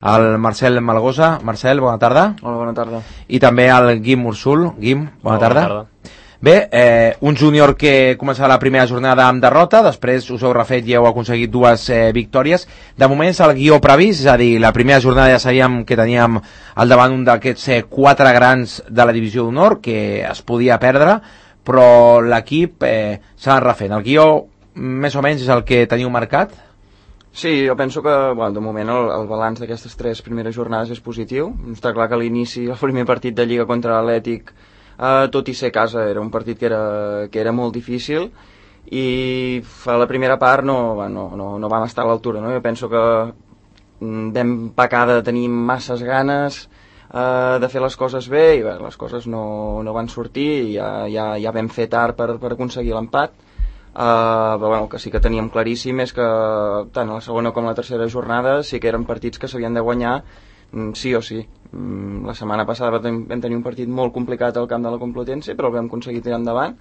el Marcel Malgosa. Marcel, bona tarda. Hola, bona tarda. I també el Guim Ursul. Guim, bona tarda. Bona tarda. Bé, un júnior que començava la primera jornada amb derrota, després us heu refet i heu aconseguit dues victòries. De moment és el guió previst, és a dir, la primera jornada ja sabíem que teníem al davant un d'aquests 4 grans de la divisió d'honor, que es podia perdre, però l'equip s'ha anat refent. El guió més o menys és el que teniu marcat? Sí, jo penso que de moment el balanç d'aquestes 3 primeres jornades és positiu. Està clar que a l'inici, el primer partit de Lliga contra l'Atlètic, tot i ser a casa, era un partit que era molt difícil, i a la primera part no vam estar a l'altura, no? Jo penso que vam pecar de tenir masses ganes de fer les coses bé, i bé, les coses no van sortir, i ja vam fer tard per aconseguir l'empat. Però bueno, que sí que teníem claríssim és que tant a la segona com a la tercera jornada sí que eren partits que s'havien de guanyar sí o sí. La setmana passada vam tenir un partit molt complicat al camp de la Complutense, però el vam aconseguir tirar endavant,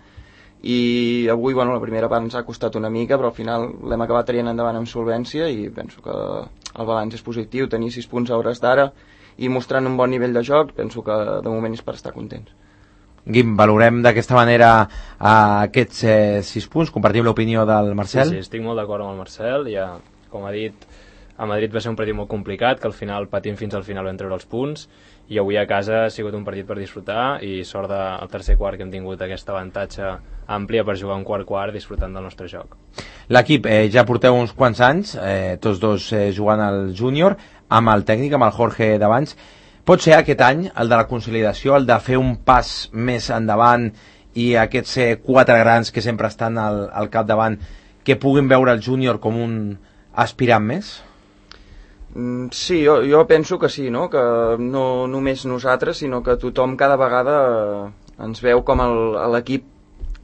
i avui la primera part ens ha costat una mica, però al final l'hem acabat traient endavant amb solvència, i penso que el balanç és positiu. Tenir 6 punts a hores d'ara i mostrant un bon nivell de joc, penso que de moment és per estar contents. Guim, valorem d'aquesta manera aquests 6 punts, compartim l'opinió del Marcel? Sí, estic molt d'acord amb el Marcel. Ja, com ha dit, a Madrid va ser un partit molt complicat, que al final patint fins al final vam treure els punts, i avui a casa ha sigut un partit per disfrutar, i sort del tercer quart que hem tingut aquest avantatge àmplia per jugar un quart disfrutant del nostre joc. L'equip ja porteu uns quants anys, tots dos jugant al júnior, amb el tècnic, amb el Jorge d'abans. Pot ser aquest any, el de la consolidació, el de fer un pas més endavant, i aquests 4 grans que sempre estan al capdavant, que puguin veure el júnior com un aspirant més? Sí, jo penso que sí, no? Que no només nosaltres, sinó que tothom cada vegada ens veu com l'equip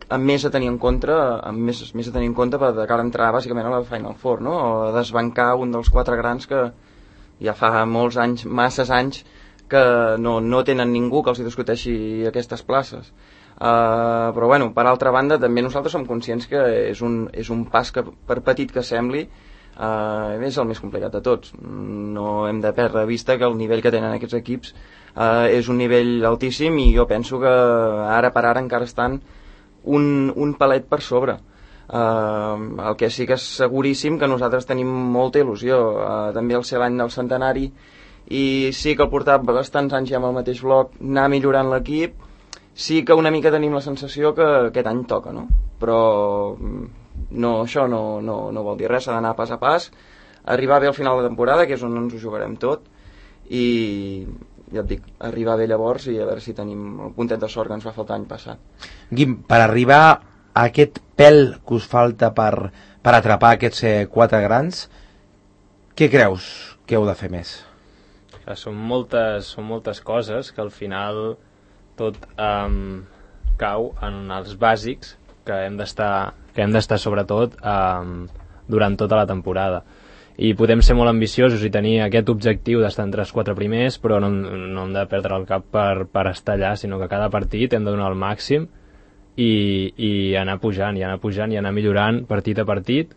amb més a tenir en compte, més a tenir en compte de cara a entrar bàsicament a la Final Four, no? O a desbancar un dels 4 grans que ja fa molts anys, masses anys, que no tenen ningú que els hi discuteixi aquestes places. Però bueno, per altra banda, també nosaltres som conscients que és un pas que, per petit que sembli, és el més complicat de tots. No hem de perdre de vista que el nivell que tenen aquests equips és un nivell altíssim, i jo penso que ara per ara encara estan un palet per sobre. El que sí que és seguríssim que nosaltres tenim molta il·lusió, també el ser l'any del centenari, i sí que el portar bastants anys ja amb el mateix bloc, anar millorant l'equip, sí que una mica tenim la sensació que aquest any toca, no? Però això no vol dir res, s'ha d'anar pas a pas, arribar bé al final de temporada, que és on ens ho jugarem tot, i ja et dic, arribar bé llavors i a veure si tenim el puntet de sort que ens va faltar l'any passat. Guim, per arribar a aquest pèl que us falta per atrapar aquests 4 grans, què creus que heu de fer més? Són moltes coses que al final tot cau en els bàsics que hem d'estar sobretot durant tota la temporada, i podem ser molt ambiciosos i tenir aquest objectiu d'estar entre els 4 primers, però no hem de perdre el cap per estar allà, sinó que cada partit hem de donar el màxim i anar pujant i anar millorant partit a partit,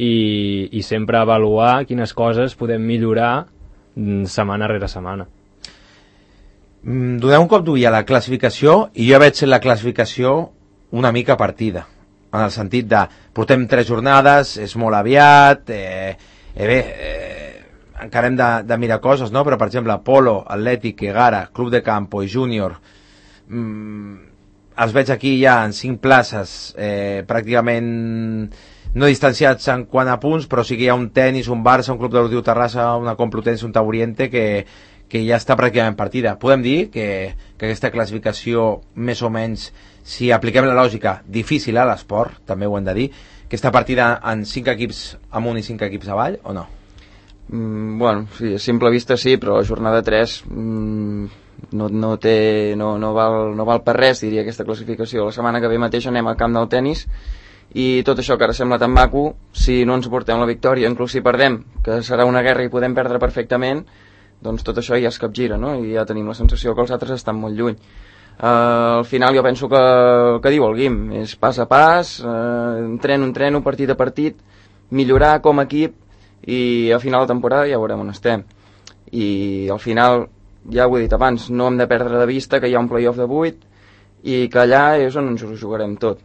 i sempre avaluar quines coses podem millorar setmana rere setmana. Doneu un cop d'ull a la classificació, i jo veig la classificació una mica partida, en el sentit de portem 3 jornades, és molt aviat, encara hem de mirar coses, no? Però per exemple Polo, Atlètic, Egara, Club de Campo i Júnior, els veig aquí ja en 5 places, pràcticament no distanciats en quant a punts, però sí que hi ha un Tenis, un Barça, un Club Deportiu Terrassa, una Complutense, un Tauriente, que ja està pràcticament partida. Podem dir que aquesta classificació, més o menys, si apliquem la lògica, difícil a l'esport, també ho hem de dir, que està partida en 5 equips amunt i 5 equips avall, o no? Bueno, sí, a simple vista sí, però la jornada 3 no val per res, diria, aquesta classificació. La setmana que ve mateix anem al camp del Tenis, i tot això que ara sembla tan maco, si no ens portem la victòria, inclús si perdem, que serà una guerra i podem perdre perfectament, doncs tot això ja es capgira, no? I ja tenim la sensació que els altres estan molt lluny. Al final jo penso que diu el Guim, és pas a pas, entreno, partit a partit, millorar com a equip, i al final de temporada ja veurem on estem. i al final, ja ho he dit abans, no hem de perdre de vista que hi ha un playoff de 8 i que allà és on ens ho jugarem tot.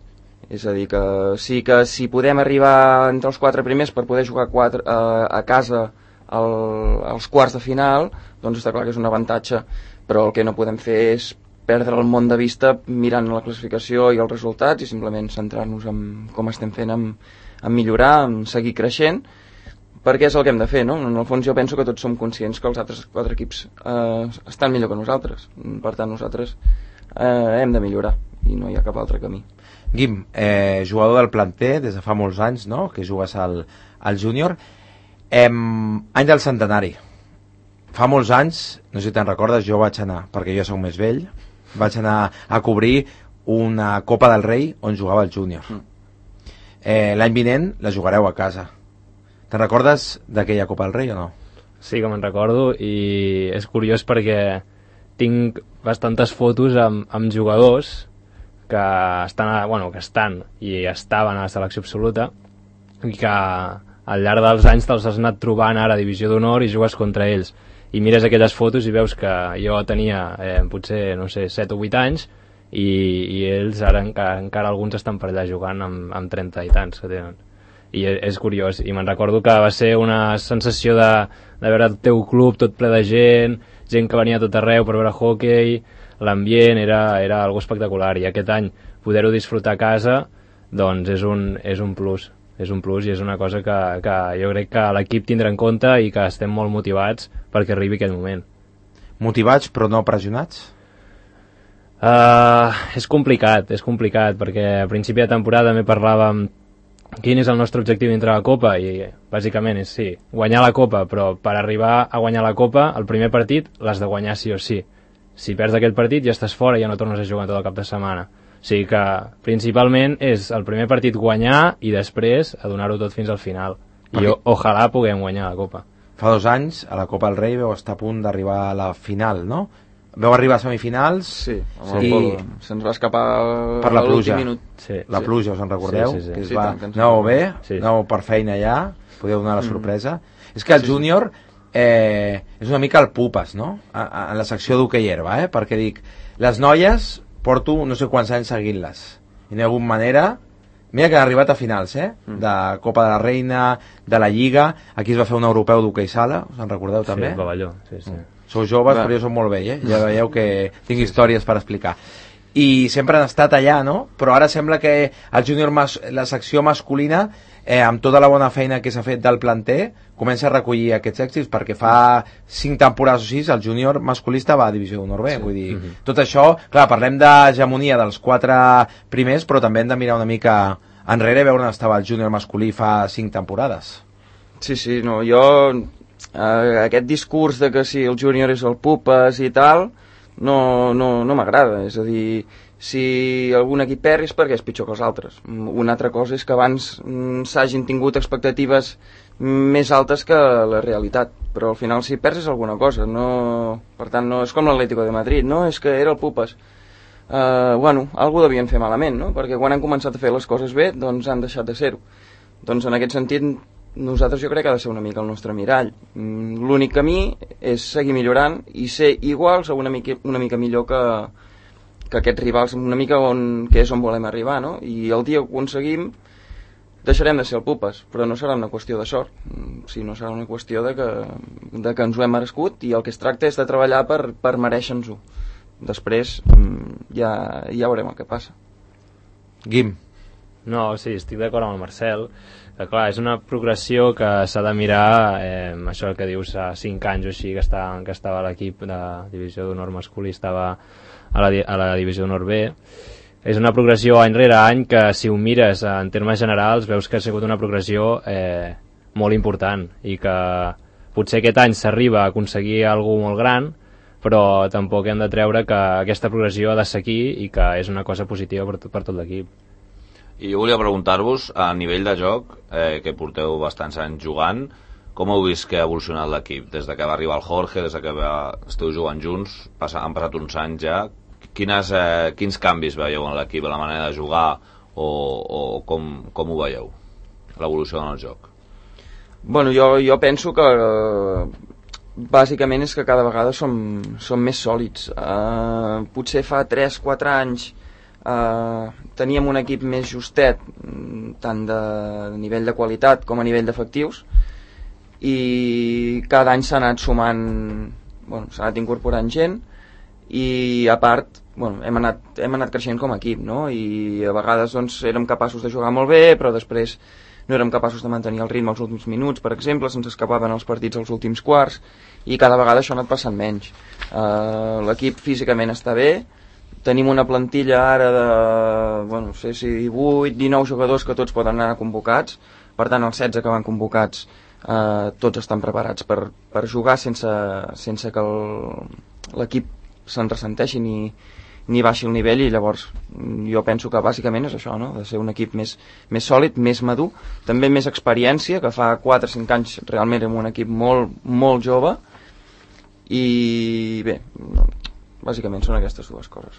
És a dir, que si podem arribar entre els 4 primers per poder jugar a casa als quarts de final, doncs està clar que és un avantatge, però el que no podem fer és perdre el món de vista mirant la classificació i els resultats i simplement centrar-nos en com estem fent, en millorar, en seguir creixent, perquè és el que hem de fer, no? En el fons jo penso que tots som conscients que els altres 4 equips estan millor que nosaltres, per tant nosaltres hem de millorar i no hi ha cap altre camí. Guim, jugador del planter des de fa molts anys, no?, que jugues al júnior. Any del centenari. Fa molts anys, no sé si te'n recordes, jo vaig anar, perquè jo soc més vell, vaig anar a cobrir una Copa del Rei on jugava el júnior. L'any vinent la jugareu a casa. Te'n recordes d'aquella Copa del Rei o no? Sí que me'n recordo, i és curiós perquè tinc bastantes fotos amb jugadors que estan i estaven a la selecció absoluta i que al llarg dels anys te'ls has anat trobant ara a Divisió d'Honor i jugues contra ells. I mires aquelles fotos i veus que jo tenia potser, no sé, 7 o 8 anys i ells ara encara alguns estan per allà jugant amb 30 i tants que tenen. I és curiós, i me'n recordo que va ser una sensació de veure el teu club tot ple de gent que venia a tot arreu per veure hoquei, l'ambient era algo espectacular, i aquest any poder-ho disfrutar a casa doncs és un plus. És un plus i és una cosa que jo crec que l'equip tindrà en compte i que estem molt motivats perquè arribi aquell moment. Motivats però no pressionats? És complicat perquè a principi de temporada també parlàvem quin és el nostre objectiu dintre la Copa i bàsicament és sí, guanyar la Copa, però per arribar a guanyar la Copa el primer partit l'has de guanyar sí o sí. Si perds aquell partit ja estàs fora i ja no tornes a jugar tot el cap de setmana. O sigui que principalment és el primer partit guanyar i després a donar-ho tot fins al final. I ojalà puguem guanyar la Copa. Fa 2 anys a la Copa del Rei veu estar a punt d'arribar a la final, no? Veu arribar a semifinals se'ns va escapar per la pluja. Minut. La pluja, us en recordeu? Sí. Que anàveu bé, anàveu per feina allà, podeu donar la sorpresa. És que el júnior és una mica el pupes, no? En la secció d'hoquei herba, perquè dic, les noies porto no sé quants anys seguint-les i no hi ha hagut manera. Mira que han arribat a finals, de Copa de la Reina, de la Lliga. Aquí es va fer un europeu d'hoquei sala, us en recordeu també? Sí, el pavelló, sí. Sou joves, però jo som molt vell, ja veieu que tinc històries per explicar. I sempre han estat allà, no? Però ara sembla que el júnior, la secció masculina, amb tota la bona feina que s'ha fet del planter, comença a recollir aquests èxits, perquè fa 5 temporades o 6 el júnior masculista va a Divisió d'Honor B. Vull dir, tot això, clar, parlem d'hegemonia dels 4 primers, però també hem de mirar una mica enrere i veure on estava el júnior masculí fa 5 temporades. Sí, no, jo aquest discurs de que si el júnior és el pupes i tal no m'agrada. És a dir, si algun equip perd és perquè és pitjor que els altres. Una altra cosa és que abans s'hagin tingut expectatives més altes que la realitat, però al final si perds és alguna cosa, no... Per tant, no és com l'Atlético de Madrid, no? És que era el pupes. Algú devien fer malament, no? Perquè quan han començat a fer les coses bé, doncs han deixat de ser-ho. Doncs en aquest sentit, nosaltres jo crec que ha de ser una mica el nostre mirall. L'únic camí és seguir millorant i ser iguals o una mica millor que aquests rivals, una mica que és on volem arribar, no? I el dia que ho aconseguim deixarem de ser el pupes, però no serà una qüestió de sort, sinó serà una qüestió de que ens ho hem merescut i el que es tracta és de treballar per mereixer-nos-ho. Després ja veurem el que passa. Guim. No, sí, estic d'acord amb el Marcel, que clar, és una progressió que s'ha de mirar, això que dius, a 5 anys o així que estava l'equip de Divisió d'Honor masculí, estava a la Divisió d'Honor B. És una progressió any rere any que si ho mires en termes generals veus que ha sigut una progressió molt important i que potser aquest any s'arriba a aconseguir alguna molt gran, però tampoc hem de treure que aquesta progressió ha de seguir i que és una cosa positiva per tot l'equip. I jo volia preguntar-vos, a nivell de joc, que porteu bastants anys jugant, com heu vist que ha evolucionat l'equip? Des que va arribar el Jorge, des que esteu jugant junts, han passat uns anys ja. Quins canvis veieu en l'equip, a la manera de jugar o com ho veieu, l'evolució en el joc? Bueno, jo penso que bàsicament és que cada vegada som més sòlids. Potser fa 3-4 anys teníem un equip més justet, tant de nivell de qualitat com a nivell d'efectius, i cada any s'ha anat sumant, s'ha anat incorporant gent, i a part hem anat creixent com a equip, no? I a vegades érem capaços de jugar molt bé, però després no érem capaços de mantenir el ritme als últims minuts, per exemple, se'ns escapaven els partits als últims quarts, i cada vegada això ha anat passant menys. L'equip físicament està bé, tenim una plantilla ara de, no sé si 18-19 jugadors que tots poden anar convocats, per tant els 16 que van convocats tots estan preparats per jugar sense que l'equip se'n ressenteixi ni baixi el nivell, i llavors jo penso que bàsicament és això, no? De ser un equip més sòlid, més madur, també més experiència, que fa 4-5 anys realment érem un equip molt, molt jove, i bé, bàsicament són aquestes dues coses.